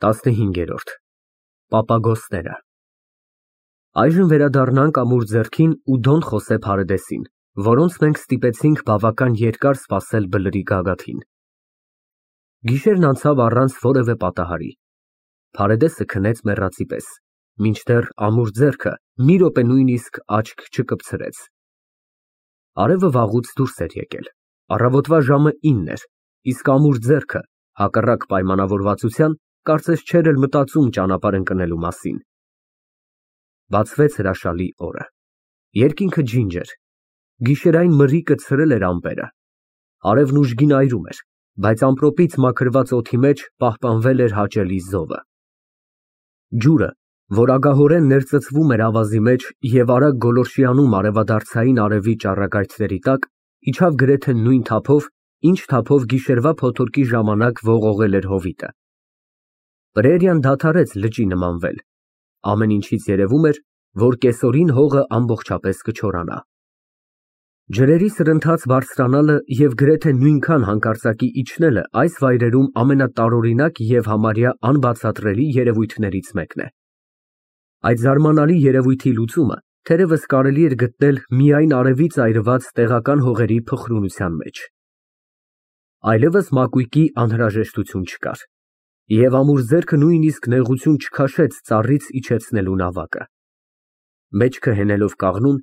15 Պապագոսները Այժմ վերադառնանք ամուր ձեռքին ու Դոն Խոսե Փարեդեսին, որոնց մենք ստիպեցինք բավական երկար սպասել բլրի գագաթին։ Գիշերն անցավ առանց որևէ պատահարի։ Փարեդեսը քնեց մեռածի պես, մինչդեռ ամուր ձեռքը մի րոպե նույնիսկ աչք չկպցրեց։ Արևը վաղուց դուրս էր եկել, առավոտվա ժամը 9 էր, իսկ ամուր ձեռքը, հակառակ պայմանավորվածության, կարծես չէր էլ մտածում ճանապարհ ընկնելու մասին։ Բացվեց հրաշալի օրը։ Երկինքը ջինջ էր։ Գիշերային մրրիկը ցրել էր ամպերը։ Արևն ուժգին այրում էր, բայց ամպրոպից մաքրված օդի մեջ պահպանվել էր հաճելի զովը։ Ջուրը, որ ագահորեն ներծծվում էր ավազի մեջ և արագ գոլորշիանում արևադարձային արևի ճառագայթների տակ, իջավ գրեթե նույն թափով, ինչ թափով գիշերվա փոթորկի ժամանակ ողողել էր հովիտը։ Պրերիան դադարեց լճի նմանվել։ Ամեն ինչից երևում էր, որ կեսօրին հողը ամբողջապես կչորանա։ Ջրերի սրընթաց բարձրանալը և գրեթե նույնքան հանկարծակի իջնելը այս վայրերում ամենատարօրինակ և համարյա անբացատրելի երևույթներից մեկն է։ Այդ զարմանալի երևույթի լուծումը թերևս կարելի էր գտնել միայն արևից այրված տեղական հողերի փխրունության մեջ։ Այլևս մակույկի անհրաժեշտություն չկար, և ամուր ձեռքը նույնիսկ նեղություն չքաշեց ծառից իջեցնելու նավակը։ Մեջքը հենելով կաղնուն,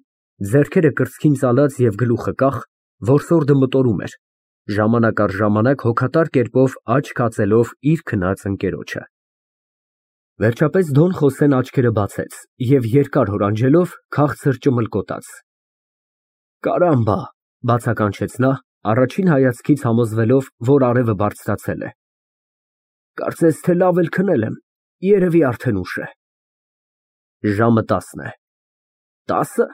ձեռքերը կրծքին ծալած և գլուխը կախ, որսորդը մտորում էր, ժամանակ առ ժամանակ հոգատար կերպով աչք հացելով իր քնած ընկերոջը։ Վերջապես Դոն Խոսեն աչքերը բացեց և երկար հորանջելով քաղցր ճմլկոտաց։ Կարամբա, բացականչեց նա, առաջին հայացքից համոզվելով, որ արևը բարձրացել է։ Կարծես թե լավ էլ քնել եմ, երևի արդեն ուշ է։ Ժամը 10 է։ 10-ը։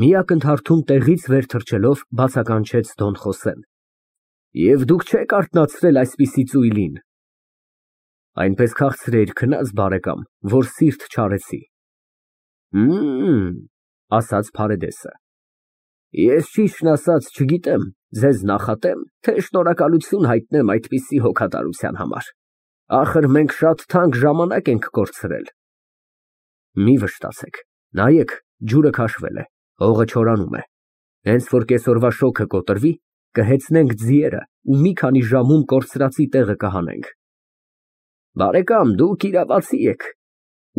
Մի ակնթարթում տեղից վեր թռչելով բացականչեց Դոն Խոսեն։ Եվ դուք չեք արթնացրել այսպիսի ծույլին։ Այնպես քաղցր էիր քնած, բարեկամ, որ սիրտ չարեցի։ Ասաց Փարեդեսը։ Ես ճիշտն ասած չգիտեմ, ձեզ նախատեմ, թե շնորհակալություն հայտնեմ այդպիսի հոգատարության համար։ Ախր մենք շատ թանկ ժամանակ ենք կորցրել։ Մի վշտացեք, նայեք, ջուրը քաշվել է, հողը չորանում է։ Հենց որ կեսօրվա շոգը կոտրվի, կհեծնենք ձիերը ու մի քանի ժամում կորցրածի տեղը կհանենք։ Բարեկամ, դուք իրավացի եք,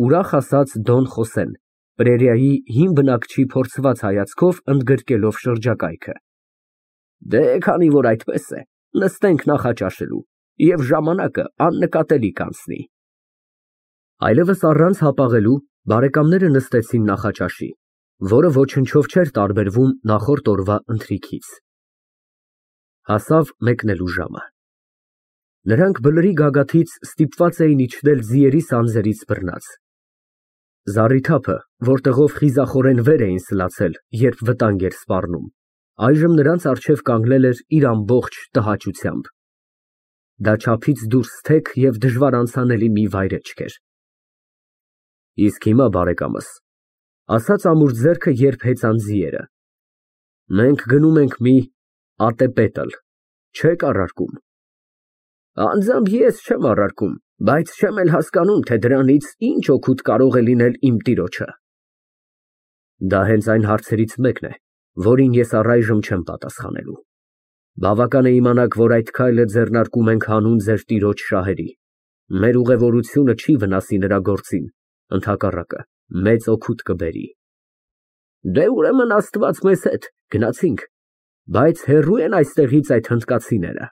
ուրախ ասաց Դոն Խոսեն, պրերիայի հին բնակչի փորձված հայացքով ընդգրկելով շրջակայքը։ Դե, քանի որ այդպես է, նստենք նախաճաշելու, և ժամանակը աննկատելի կանցնի։ Այլևս առանց հապաղելու բարեկամները նստեցին նախաճաշի, որը ոչնչով չէր տարբերվում նախորդ օրվա ընթրիքից։ Հասավ մեկնելու ժամը։ Նրանք բլրի գագաթից ստիպված էին իջնել ձիերի սանձերից բռնած։ Զառիթափը, որտեղով խիզախորեն վեր էին սլացել, երբ վտանգ էր սպառնում, այժմ նրանց առջև կանգնել էր իր ամբողջ տհաճությամբ։ Դա չափից դուրս թեք և դժվար անցանելի մի վայրէջք էր։ Իսկ հիմա, բարեկամս, ասաց ամուր ձեռքը, երբ հեծան ձիերը, մենք գնում ենք մի ատեպետլ, չեք առարկում։ Անձամբ ես չեմ առարկում, բայց չեմ էլ հասկանում, թե դրանից ինչ օգուտ կարող է լինել իմ տիրոջը։ Դա հենց այն հարցերից մեկն է, որին ես առայժմ չեմ պատասխանելու։ Բավական է իմանաք, որ այդ քայլը ձեռնարկում ենք հանուն ձեր տիրոջ շահերի։ Մեր ուղևորությունը չի վնասի նրա գործին, ընդհակառակը, մեծ օգուտ կբերի։ Դե ուրեմն Աստված մեզ հետ, գնացինք, բայց հեռու են այստեղից այդ հնդկացիները։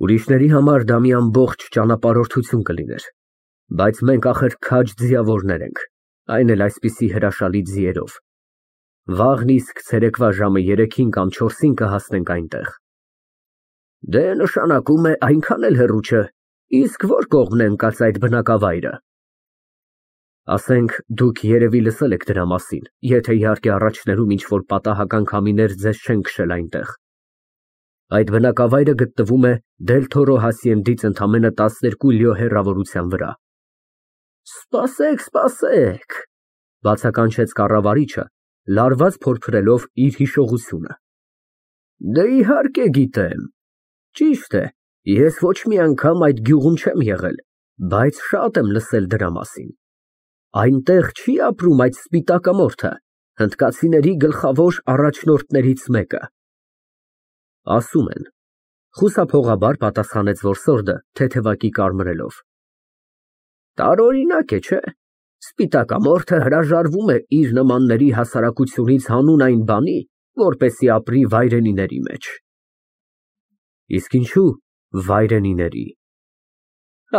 Ուրիշների համար դա մի ամբողջ ճանապարհորդություն կլիներ, բայց մենք ախր քաջ ձիավորներ ենք, այն էլ այսպիսի հրաշալի ձիերով։ Վաղն իսկ ցերեկվա ժամը 3-ին կամ 4-ին կհասնենք այնտեղ։ Դե նշանակում է այնքան էլ հեռու չէ, իսկ որ կողմն է ընկած այդ բնակավայրը։ Ասենք, դուք երևի լսել եք դրա մասին, եթե իհարկե առաջներում ինչ-որ պատահական քամիներ ձեզ չեն քշել այնտեղ։ Այդ բնակավայրը գտնվում է Դել Թորո հասիենդից ընդամենը 12 լիո հեռավորության վրա։ Սպասեք, բացականչեց կառավարիչը, լարված փորփրելով իր հիշողությունը։ Դե իհարկե գիտեմ։ Ճիշտ է, ես ոչ մի անգամ այդ գյուղում չեմ եղել, Բայց շատ եմ լսել դրա մասին։ Այնտեղ չի ապրում այդ սպիտակամորթը, հնդկացիների գլխավոր առաջնորդներից մեկը։ Ասում են, խուսափողաբար պատասխանեց որսորդը, թեթևակի կարմրելով։ Տարօրինակ է, չէ՞։ Սպիտակամորթը հրաժարվում է իր նմանների հասարակությունից հանուն այն բանի, որպեսզի ապրի վայրենիների մեջ։ Իսկ ինչու վայրենիների։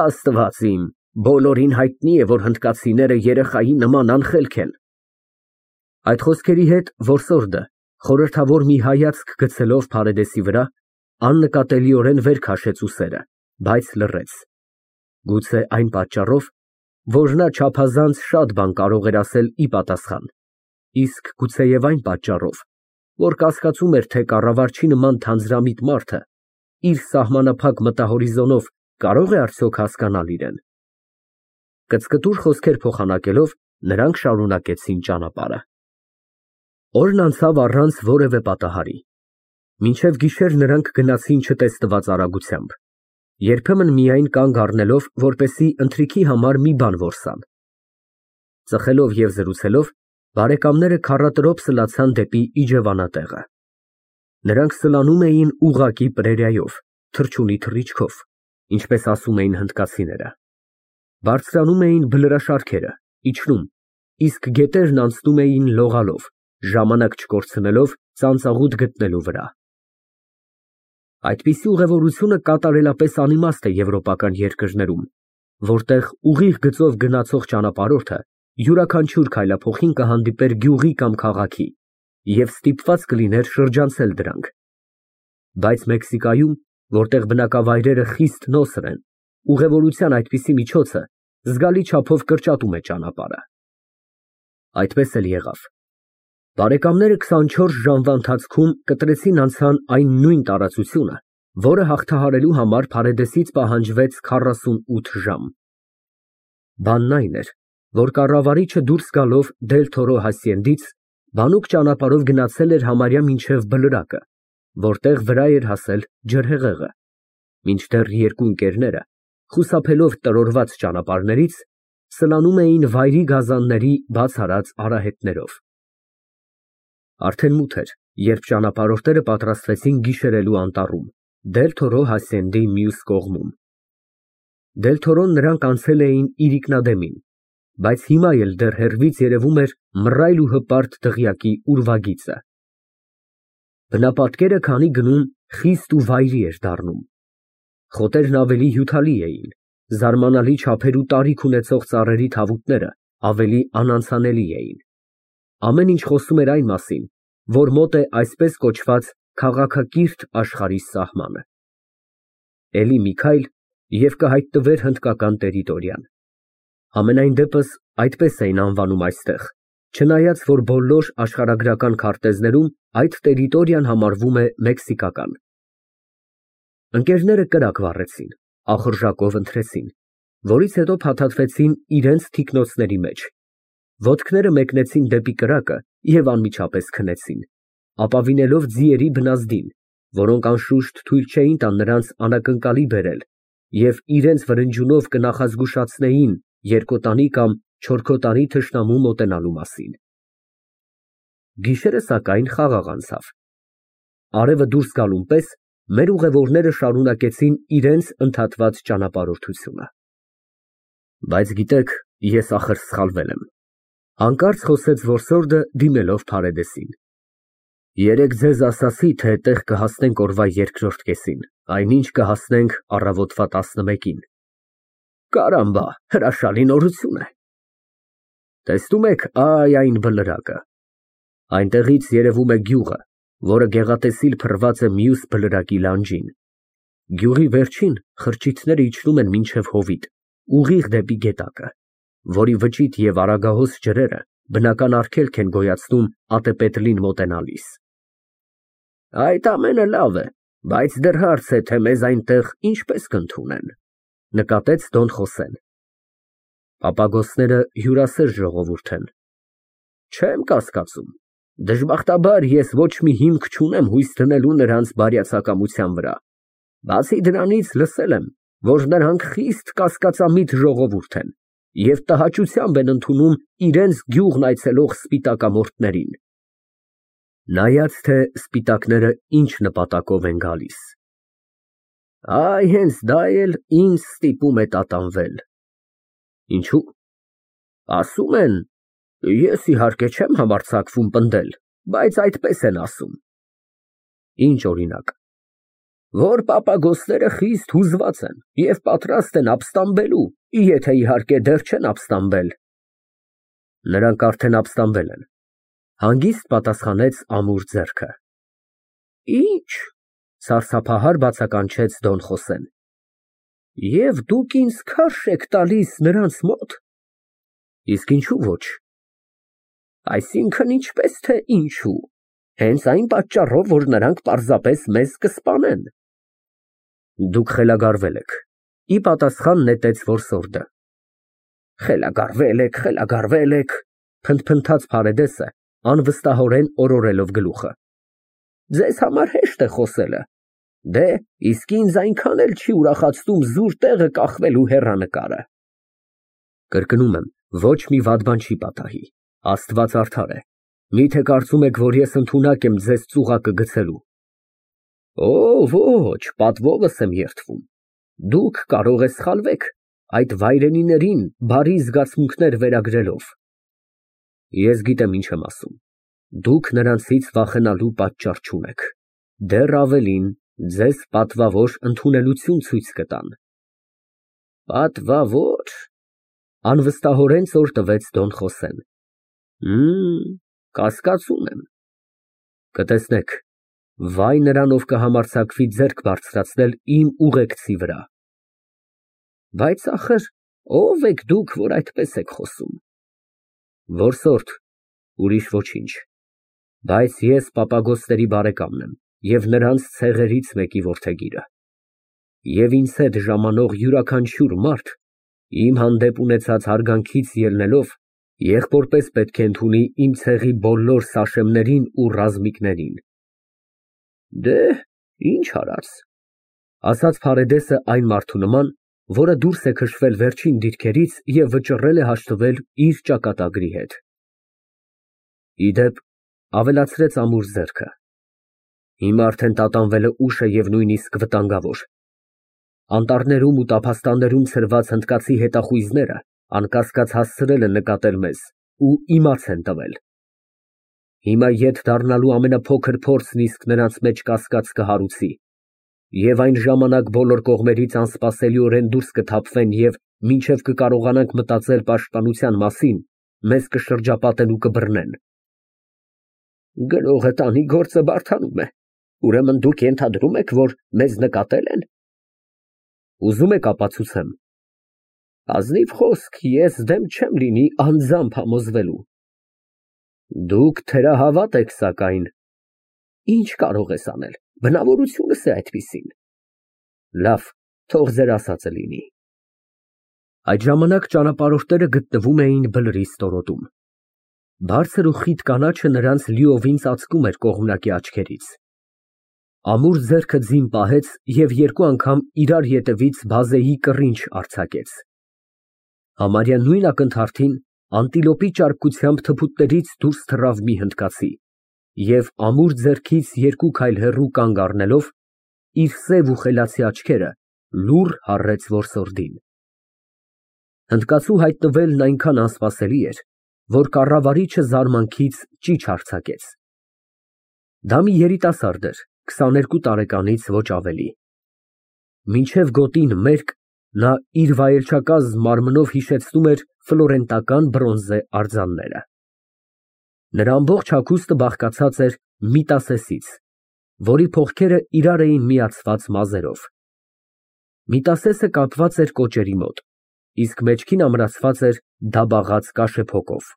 Աստված իմ, բոլորին հայտնի է, որ հնդկացիները երեխայի նման անխելք են։ Այդ խոսքերի հետ որսորդը խորհրդավոր մի հայացք գցելով Փարեդեսի վրա, աննկատելիորեն վեր քաշեց ուսերը, բայց լռեց։ Գուցե այն պատճառով, որ նա չափազանց շատ բան կարող էր ասել ի պատասխան, իսկ գուցեև այն պատճառով, որ կասկածում էր, թե կառավարչի նման թանձրամիտ մարդը իր սահմանափակ մտահորիզոնով կարող է արդյոք հասկանալ իրեն։ Կծկտուր խոսքեր փոխանակելով նրանք շարունակեցին ճանապարհը։ Օրն անցավ առանց որևէ պատահարի։ Մինչև գիշեր նրանք գնացին չտեսնված արագությամբ, երբեմն միայն կանգ առնելով, որպեսզի ընթրիքի համար մի բան որսան։ Ծխելով և զրուցելով, բարեկամները քառատրոփ սլացան դեպի իջևանատեղը։ Նրանք սլանում էին ուղղակի պրերիայով, թռչունի թռիչքով, ինչպես ասում էին հնդկացիները։ Բարձրանում էին բլրաշարքերը, իջնում, իսկ գետերն անցնում էին լողալով, ժամանակ չկորցնելով ծանծաղուտ գտնելու վրա։ Այդպիսի ուղևորությունը կատարելապես անիմաստ է եվրոպական երկրներում, որտեղ ուղիղ գծով գնացող ճանապարհորդը յուրաքանչյուր քայլափոխին կհանդիպեր գյուղի կամ քաղաքի և ստիպված կլիներ շրջանցել դրանք։ Բայց Մեքսիկայում, որտեղ բնակավայրերը խիստ նոսր են, ուղևորության այդպիսի միջոցը զգալի չափով կրճատում է ճանապարհը։ Այդպես էլ եղավ։ Բարեկամները 24 ժամվա ընթացքում կտրեցին անցան այն նույն տարածությունը, որը հաղթահարելու համար Փարեդեսից պահանջվեց 48 ժամ։ Բանն այն էր, որ կառավարիչը դուրս գալով Դել Թորո հասցենդից բանուկ ճանապարհով գնացել էր համարյա մինչև Բլրակը, որտեղ վրա էր հասել ջրհեղեղը, մինչդեռ երկու ընկերները, խուսափելով տրորված ճանապարհներից, սլանում էին վայրի գազանների բացառած արահետներով։ Արդեն մութ էր, երբ ճանապարհորդները պատրաստվեցին գիշերելու անտառում, Դել Թորո հասցենդի մյուս կողմում։ Դել Թորոն նրանք անցել էին իրիկնադեմին, բայց հիմա էլ դեռ հեռվից երևում էր մռայլ ու հպարտ դղյակի ուրվագիծը։ Բնապատկերը քանի գնում խիստ ու վայրի էր դառնում։ Խոտերն ավելի հյութալի էին, զարմանալի չափեր ու տարիք ունեցող ծառերի թավուտները ավելի անանցանելի էին։ Ամեն ինչ խոսում էր այն մասին, որ մոտ է այսպես կոչված քաղաքակիրթ աշխարհի սահմանը։ Էլի մի քայլ և կհայտնվեր հնդկական տերիտորիան։ Համենայն դեպս այդպես էին անվանում այստեղ, չնայած որ բոլոր աշխարհագրական քարտեզներում այդ տերիտորիան համարվում է մեքսիկական։ Ընկերները կրակ վառեցին, ախորժակով ընթրեցին, որից հետո փաթաթվեցին իրենց թիկնոցների մեջ, ոտքները մեկնեցին դեպի կրակը և անմիջապես քնեցին, ապավինելով ձիերի բնազդին, որոնք անշուշտ թույլ չէին տա նրանց անակնկալի բերել և իրենց վրնջյունով կնախազգուշացնեին երկոտանի կամ չորքոտանի թշնամու մոտենալու մասին։ Գիշերը սակայն խաղաղ անցավ։ Արևը դուրս գալուն պես մեր ուղևորները շարունակեցին իրենց ընդհատված ճանապարհորդությունը։ Բայց գիտեք, ես ախր սխալվել եմ, հանկարծ խոսեց որսորդը դիմելով Փարեդեսին։ Երեկ ձեզ ասացի, թե տեղ կհասնենք օրվա երկրորդ կեսին, այնինչ կհասնենք առավոտվա 11-ին։ Կարամբա, հրաշալի նորություն է։ Տեսնում եք, այ այն բլրակը։ Այնտեղից երևում է գյուղը, որը գեղատեսիլ փռված է մյուս բլրակի լանջին։ Գյուղի վերջին խրճիթները իջնում են մինչև հովիտ, ուղիղ դեպի գետակը, որի վճիտ և արագահոս ջրերը բնական արգելք են գոյացնում ատեպետլին մոտենալիս։ Այդ ամենը լավ է, բայց դեռ հարց է, թե մեզ այնտեղ ինչպես կընդունեն, նկատեց Դոն Խոսեն։ Պապագոսները հյուրասեր ժողովուրդ են։ Չեմ կասկածում, դժբախտաբար ես ոչ մի հիմք չունեմ հույս դնելու նրանց բարյացակամության վրա։ Բացի դրանից լսել եմ, որ նրանք խիստ կասկածամիտ ժողովուրդ են և տհաճությամբ են ընդունում իրենց գյուղն այցելող սպիտակամորթներին։ Նայած, թե սպիտակները ինչ նպատակով են գալիս։ Այ հենց դա էլ ինձ ստիպում է տատանվել։ Ինչու՞։ Ասում են, ես իհարկե չեմ համարձակվում պնդել, բայց այդպես են ասում։ Ինչ օրինակ։ Որ պապագոսները խիստ հուզված են և պատրաստ են ապստամբելու, եթե իհարկե դեռ չեն ապստամբել։ Նրանք արդեն ապստամբել են, հանգիստ պատասխանեց ամուր ձեռքը։ Ինչ, սարսափահար բացականչեց Դոն Խոսեն։ Եվ դուք ինձ քարշ եք տալիս նրանց մոտ։ Իսկ ինչու ոչ։ Այսինքն ինչպես թե ինչու, հենց այն պատճառով, որ նրանք պարզապես մեզ կսպանեն։ Դուք խելագարվել եք, ի պատասխան նետեց որսորդը։ Խելագարվել եք, փնթփնթաց Փարեդեսը, անվստահորեն օրորելով գլուխը։ Ձեզ համար հեշտ է խոսելը, դե իսկ ինձ այնքան էլ չի ուրախացնում զուր տեղը կախվելու հեռանկարը։ Կրկնում եմ, ոչ մի վատ բան չի պատահի, Աստված արդար է, միթե կարծում եք, որ ես ընդունակ եմ ձեզ ծուղակը գցելու։ Ոչ, պատվովս եմ երդվում, դուք կարող եք սխալվեք, այդ վայրենիներին բարի զգացմունքներ վերագրելով։ Ես գիտեմ ինչ եմ ասում, դուք նրանցից վախենալու պատճառ չունեք, դեռ ավելին, ձեզ պատվավոր ընդունելություն ցույց կտան։ Պատվավոր, անվստահորեն ծոր տվեց Դոն Խոսեն։ Կասկածում եմ։ Կտեսնեք, վայ նրան, ով կհամարձակվի ձեռք բարձրացնել իմ ուղեկցի վրա։ Բայց ախր, ով եք դուք, որ այդպես եք խոսում։ Որսորդ, ուրիշ ոչինչ, բայց ես պապագոսների բարեկամն եմ և նրանց ցեղերից մեկի որդեգիրը։ Եվ ինձ հետ ժամանող յուրաքանչյուր մարդ, իմ հանդեպ ունեցած հարգանքից ելնելով, եղբորպես պետք է ընդունի իմ ցեղի բոլոր սաշեմներին ու ռազմիկներին։ Դե, ինչ արած, ասաց Փարեդեսը այն մարդու նման, որը դուրս է քշվել վերջին դիրքերից և վճռել է հաշտվել իր ճակատագրի հետ։ Իդեպ, ավելացրեց ամուր ձեռքը, հիմա արդեն տատանվելը ուշ է և նույնիսկ վտանգավոր։ Անտառներում ու տափաստաններում ցրված հնդկացի հետախույզները անկասկած հասցրել են նկատել մեզ ու իմաց են տվել։ Հիմա ետ դառնալու ամենափոքր փորձն իսկ նրանց մեջ կասկած կհարուցի, և այն ժամանակ բոլոր կողմերից անսպասելիորեն դուրս կթափվեն և մինչև կկարողանանք մտածել պաշտպանության մասին, մեզ կշրջապատեն ու կբռնեն։ Գրողը տանի գործը բարդանում է, ուրեմն դուք ենթադրում եք, որ մեզ նկատել են։ Ուզում եք ապացուցեմ։ Ազնիվ խոսք, ես դեմ չեմ լինի անձամբ համոզվելու։ Դուք թերահավատ եք, սակայն։ Ինչ կարող ես անել, բնավորությունս է այդպիսին։ Լավ, թող ձեր ասածը լինի։ Այդ ժամանակ ճանապարհորդները գտնվում էին բլրի ստորոտում։ Բարձր ու խիտ կանաչը նրանց լիովին ծածկում էր կողմնակի աչքերից։ Ամուր ձեռքը ձին պահեց և երկու անգամ իրար ետևից բազեի կռինչ արձակեց։ Համարյա նույն ակնթարթին անտիլոպի ճարպկությամբ թփուտներից դուրս թռավ մի հնդկացի և ամուր ձեռքից երկու քայլ հեռու կանգ առնելով, իր սև ու խելացի աչքերը լուռ հառեց որսորդին։ Հնդկացու հայտնվելն այնքան անսպասելի էր, որ կառավարիչը զարմանքից ճիչ արձակեց։ Դա մի երիտասարդ էր, 22 տարեկանից ոչ ավելի։ Մինչև գոտին մերկ, նա իր վայելչակազմ մարմնով հիշեցնում էր ֆլորենտական բրոնզե արձանները։ Նրա ամբողջ հագուստը բաղկացած էր միտասեսից, որի փողքերը իրար էին միացված մազերով։ Միտասեսը կապված էր կոճերի մոտ, իսկ մեջքին ամրացված էր դաբաղած կաշեփոկով։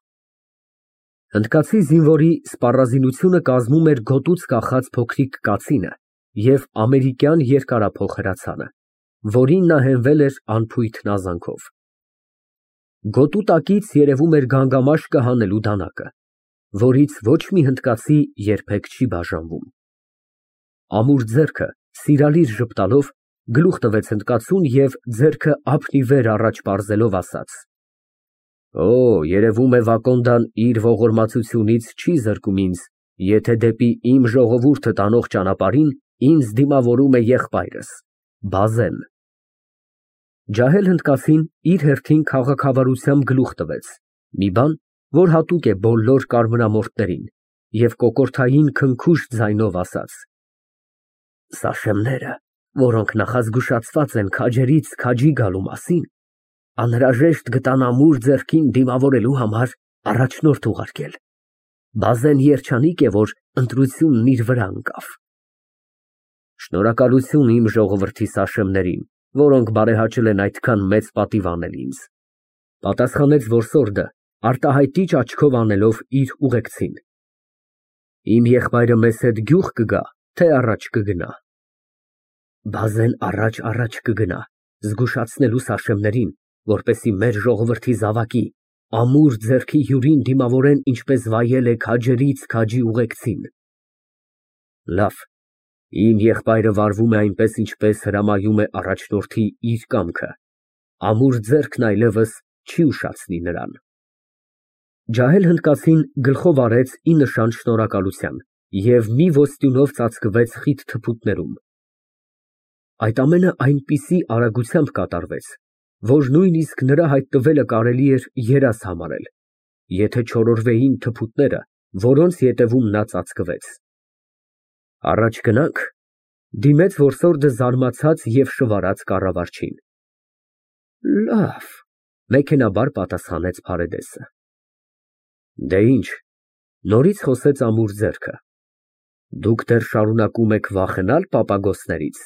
Հնդկացի զինվորի սպառազինությունը կազմում էր գոտուց կախած փոքրիկ կացինը և ամերիկյան երկարափոխ հրացանը, որին նա հենվել էր անփույթ նազանքով։ Գոտու տակից երևում էր գանգամաշկը հանելու դանակը, որից ոչ մի հնդկացի երբեք չի բաժանվում։ Ամուր ձեռքը սիրալիր ժպտալով գլուխ տվեց հնդկացուն և ձեռքը ափն ի վեր առաջ պարզելով ասաց. Օ, երևում է Վակոնդան իր ողորմածությունից չի զրկում ինձ, եթե դեպի իմ ժողովուրդը տանող ճանապարհին ինձ դիմավորում է եղբայրս, Բազեն։ Ջահել հնդկացին իր հերթին քաղաքավարությամբ գլուխ տվեց, մի բան, որ հատուկ է բոլոր կարմրամորթներին, և կոկորդային քնքուշ ձայնով ասաց. Սաշեմները, որոնք նախազգուշացված են քաջերից քաջի գալու մասին, անհրաժեշտ գտան ամուր ձեռքին դիմավորելու համար առաջնորդ ուղարկել։ Բազեն երջանիկ է, որ ընտրությունն իր վրա ընկավ։ Շնորհակալություն իմ ժողովրդի սաշեմներին, որոնք բարեհաճել են այդքան մեծ պատիվ անել ինձ, պատասխանեց որսորդը, արտահայտիչ աչքով անելով իր ուղեկցին։ Իմ եղբայրը մեզ հետ գյուղ կգա, թե առաջ կգնա։ Բազեն առաջ կգնա, զգուշացնելու սաշեմներին, որպեսզի մեր ժողովրդի զավակի, ամուր ձեռքի հյուրին դիմավորեն, ինչպես վայել է քաջերից քաջի ուղեկցին։ Լավ, իմ եղբայրը վարվում է այնպես, ինչպես հրամայում է առաջնորդի իր կամքը, ամուր ձեռքն այլևս չի ուշացնի նրան։ Ջահել հնդկացին գլխով արեց ի նշան շնորհակալության և մի ոսტյունով ծածկվեց խիտ թփուտներում։ Այդ ամենը այնպիսի արագությամբ կատարվեց, որ նույնիսկ նրա հայտնվելը կարելի էր երազ համարել, եթե չորորվեին թփուտները, որոնց ետևում նա ծածկվեց։ Առաջ գնա՞նք, դիմեց որսորդը զարմացած և շվարած կառավարչին։ Լավ, մեքենաբար պատասխանեց Փարեդեսը։ Դե ինչ, նորից խոսեց ամուր ձեռքը։ Դուք դեռ շարունակում եք վախենալ պապագոսներից։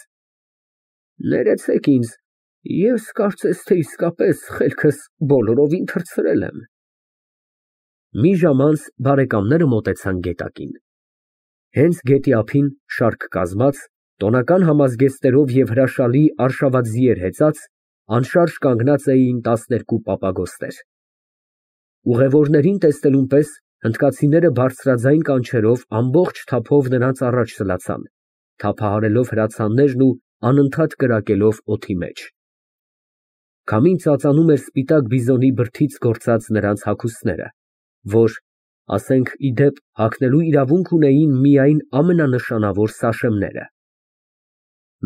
Ներեցեք ինձ, ես կարծես թե իսկապես խելքս բոլորովին թռցրել եմ։ Մի ժամ անց բարեկամները մոտեցան գետակին։ Հենց գետի ափին շարք կազմած, տոնական համազգեստերով և հրաշալի արշավաձիեր հեծած, անշարժ կանգնած էին 12 պապագոստեր։ Ուղևորներին տեսնելուն պես հնդկացիները բարձրաձայն կանչերով ամբողջ թափով նրանց առաջ սլացան, թափահարելով հրացաններն ու անընդհատ կրակելով օդի մեջ։ Քամին ծածանում էր սպիտակ բիզոնի բրդից գործած նրանց հագուստները, որ, ասենք ի դեպ, հագնելու իրավունք ունեին միայն ամենանշանավոր սաշեմները։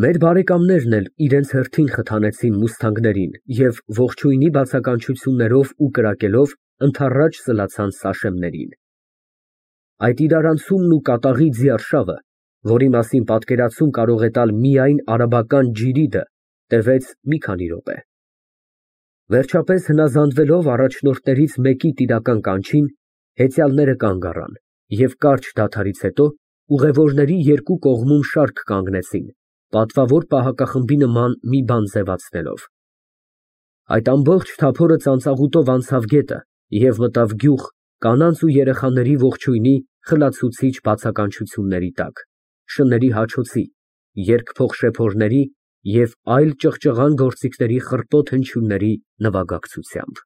Մեր բարեկամներն էլ իրենց հերթին խթանեցին մուսթանգներին և ողջույնի բացականչություններով ու կրակելով ընդառաջ սլացան սաշեմներին։ Այդ իրարանցումն ու կատաղի ձիարշավը, որի մասին պատկերացում կարող է տալ միայն արաբական ջիրիդը, տևեց մի քանի րոպե։ Վերջապես հնազանդվելով առաջնորդներից մեկի տիրական կանչին, հեծյալները կանգ առան և կարճ դադարից հետո ուղևորների երկու կողմում շարք կանգնեցին, պատվավոր պահակախմբի նման մի բան ձևացնելով։ Այդ ամբողջ թափորը ծանծաղուտով անցավ գետը և մտավ գյուղ կանանց ու երեխաների ողջույնի խլացուցիչ բացականչությունների տակ, շների հաչոցի, երգփող շեփորների և այլ ճղճղան գործիքների խռպոտ հնչյունների նվագակցությամբ։